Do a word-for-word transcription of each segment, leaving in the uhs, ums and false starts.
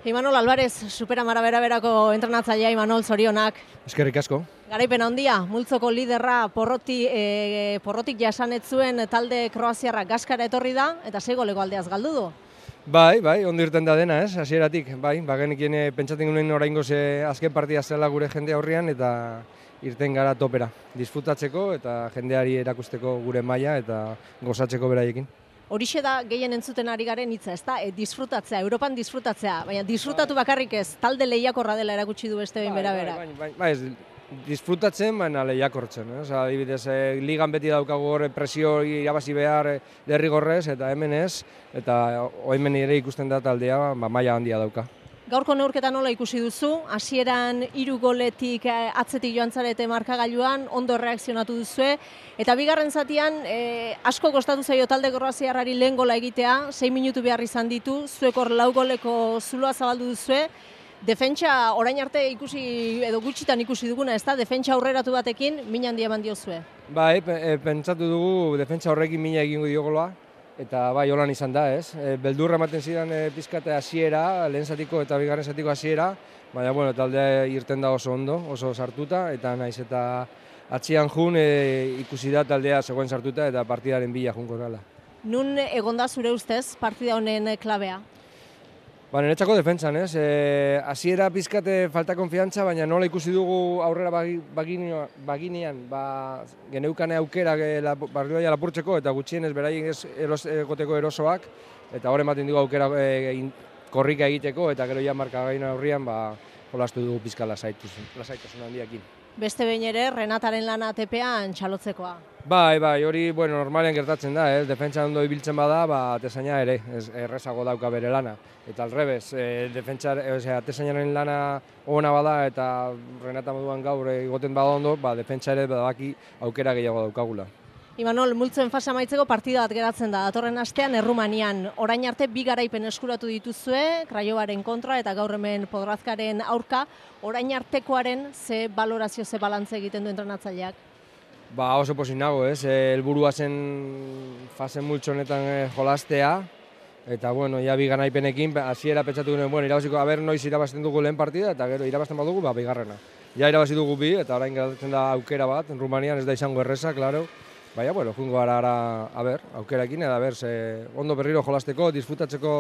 Imanol Alvarez, Superamara bera-berako entrenatzailea. Imanol, zorionak. Eskerrik asko. Garaipen handia, multzoko liderra porroti, e, porrotik jasanet zuen talde kroaziarra Gaskara etorri da, eta sei goleko aldeaz galdu du. Bai, bai, ondo irten da dena, ez, hasieratik. Bai, bagenekien pentsatzen genuen oraingoz azken partida zela gure jende aurrean, eta irten gara topera. Disfrutatzeko eta jendeari erakusteko gure maila eta gozatzeko beraiekin. Horixe da gehien entzuten ari garen hitza, ezta? E, disfrutatzea, Europan disfrutatzea, baina disfrutatu bakarrik ez, talde lehiakorra dela erakutsi du beste behin bera-bera. Bai, bai, bai, bai, disfrutatzen, baina lehiakortzen. Eh? Osa, adibidez, eh, ligan beti daukagu hor presio irabazi behar eh, derrigorrez, eta hemen ez, eta hemen ere ikusten da taldea, ba, maila handia dauka. Gaurko neurketa nola ikusi duzu? Hasieran hiru goletik atzetik joan zarete markagailuan, ondo reakzionatu duzue, eta bigarren zatian e, asko kostatu zaio talde kroaziarrari lehen gola egitea, sei minutu behar izan ditu, zuek hor lau goleko zuloa zabaldu duzue. Defentsa orain arte ikusi edo gutxitan ikusi duguna, ezta? Defentsa aurreratu batekin min handia eman diozue. Bai, pentsatu dugu defentsa horrekin mina egingo dio gola. Eta bai, holan izan da, ez? E, beldurra ematen zidan e, pizkate hasiera, lehen zatiko eta bigarren zatiko hasiera, baina, bueno, taldea irten da oso ondo, oso sartuta, eta naiz eta atzian jun e, ikusi da taldea zegoen sartuta eta partidaren bila junko dela. Nun egonda zure ustez partida honen klabea? Ba, niretzako defentsan, ez? E, hasiera pizkate falta konfiantza, baina nola ikusi dugu aurrera baginean, ba, geneukane aukerak la, barrioa lapurtzeko eta gutxienez beraien ez eros, egoteko erosoak, eta hor ematen dugu aukera e, in, korrika egiteko, eta gero ja markagaina aurrian, ba, jolastu dugu pizka lasaitasun handiakin. Beste behin ere, Renataren lana tepean txalotzekoa. Bai, bai, hori, bueno, normalean gertatzen da, eh? Defentsa ondo ibiltzen bada, ba, atezaina ere, ez, errezago dauka bere lana. Eta alrebez, eh, defentsa, o sea, atezainaren lana ona bada eta Renata moduan gaur egoten bada ondo, ba, defentsa ere badaki aukera gehiago daukagula. Imanol, multzen fase amaitzeko partida bat geratzen da, datorren astean Errumanian. Orain arte bi garaipen eskuratu dituzue, Kraiovaren kontra eta gaur hemen Podrazkaren aurka. Orain artekoaren ze balorazio, ze balantze egiten du entrenatzaileak? Ba, oso pozik nago, ez? Helburua zen fase multzo honetan jolastea, eta, bueno, ja bi garaipenekin, hasiera pentsatu genuen, bueno, irabaziko, aber noiz irabazten dugu lehen partida, eta gero irabazten badugu, ba, bigarrena. Ja irabazi dugu bi, eta orain geratzen da aukera bat, Rumanian ez da izango erreza, klaro. Baina, bueno, jungo gara ara, a ber, aukerakin, eta ber, ze, ondo berriro jolasteko, disfrutatzeko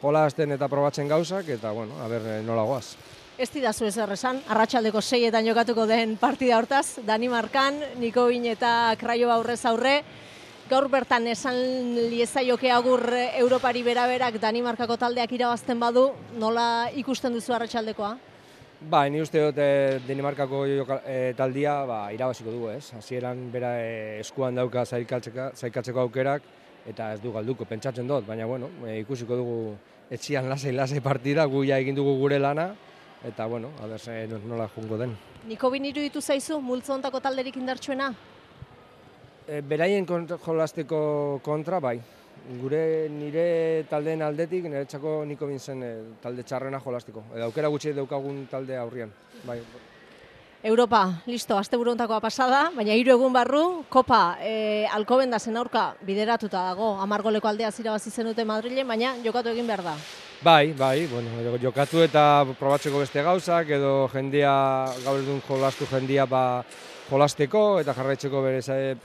jolasten eta probatzen gauzak, eta, bueno, a ber, nola goaz. Ez didazu ez errezan, arratsaldeko seietan jokatuko den partida hortaz, Danimarkan, Nikovin eta Kraiova aurrez aurre. Gaur bertan esan liezaioke agur Europari bera-berak Danimarkako taldeak irabazten badu, nola ikusten duzu arratsaldekoa? Ba, ni uste dut e, Danimarkako e, taldia ba, irabaziko dugu, ez? Hasieran bera e, eskuan dauka zaikatzeko aukerak, eta ez du galduko, pentsatzen dut, baina, bueno, e, ikusiko dugu etxian lasai-lasai partida, gu ja egin dugu gure lana, eta, bueno, a ber, e, nola jungo den. Nikovin iruditu zaizu, multzo hontako talderik indartsuena? E, beraien kontra, jolasteko kontra, bai. Gure nire taldeen aldetik, niretzako Nikovin zen e, talde txarrena jolastiko. Edo aukera gutxi daukagun talde aurrian. Bai. Europa, listo, asteburu hontakoa pasada, baina hiru egun barru, Kopa e, Alcobendasen aurka bideratuta dago. Hamar goleko aldea irabazi zenute Madrilen, baina jokatu egin behar da. Bai, bai, bueno, jokatu eta probatzeko beste gauzak, edo jendia, gaur edun jolastu jendia ba, jolasteko eta jarraitzeko bere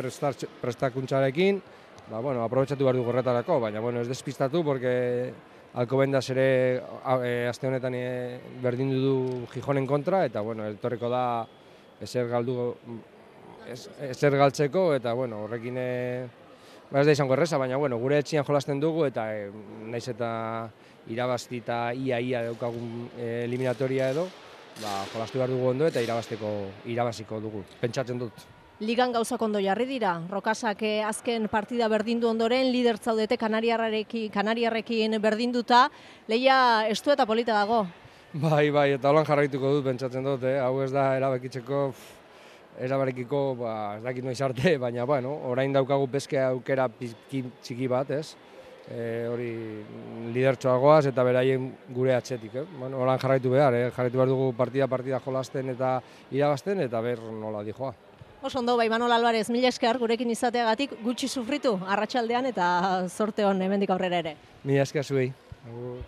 prestakuntzarekin. Ba, bueno, aprobetxatu behar dugu horretarako, baina, bueno, ez despistatu, porque Alcobendas ere e, aste honetan e, berdindu du Gijonen kontra, eta, bueno, etorriko da ezer galdu, ez, ezer galtzeko, eta, bueno, horrekin e, ba ez da izango erreza, baina, bueno, gure etxian jolasten dugu, eta e, naiz eta irabazti eta ia-ia daukagun e, eliminatoria edo, ba, jolastu behar dugu ondo eta irabazteko, irabaziko dugu, pentsatzen dut. Ligan gauzak ondo jarri dira, Rokasak azken partida berdindu ondoren, lider zaudete Kanariarrekin, Kanariarrekin berdinduta, lehia estu eta polita dago. Bai, bai, eta holan jarraituko dut, pentsatzen dut, eh? Hau ez da erabakitzeko, erabarekiko, ba, ez dakit noiz arte, baina, bueno, orain daukagu peske aukera txiki bat, ez? E, hori lidertxoagoaz eta beraien gure atzetik, eh? Bueno, holan jarraitu behar, eh? Jarraitu behar dugu partida-partida jolasten eta irabazten, eta ber nola dijoa. Oso ondo, Imanol Alvarez, mila esker gurekin izateagatik, gutxi sufritu arratsaldean eta zorte hon hemendik aurrera ere. Mila esker zuei.